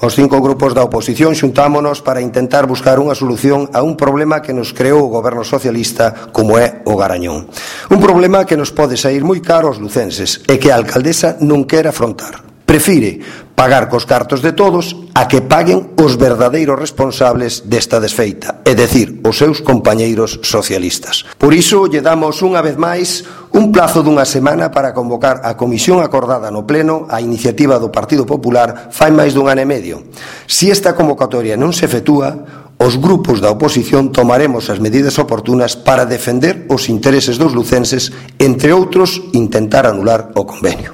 Os 5 grupos da oposición xuntámonos para intentar buscar unha solución a un problema que nos creou o goberno socialista como é o Garañón. Un problema que nos pode sair moi caro aos lucenses e que a alcaldesa non quere afrontar. Prefire pagar cos cartos de todos a que paguen os verdadeiros responsables desta desfeita, é dicir, os seus compañeiros socialistas. Por iso lle damos unha vez máis un plazo dunha semana para convocar a comisión acordada no pleno a iniciativa do Partido Popular fai máis dun ano e medio. Se esta convocatoria non se efectúa, os grupos da oposición tomaremos as medidas oportunas para defender os intereses dos lucenses, entre outros, intentar anular o convenio.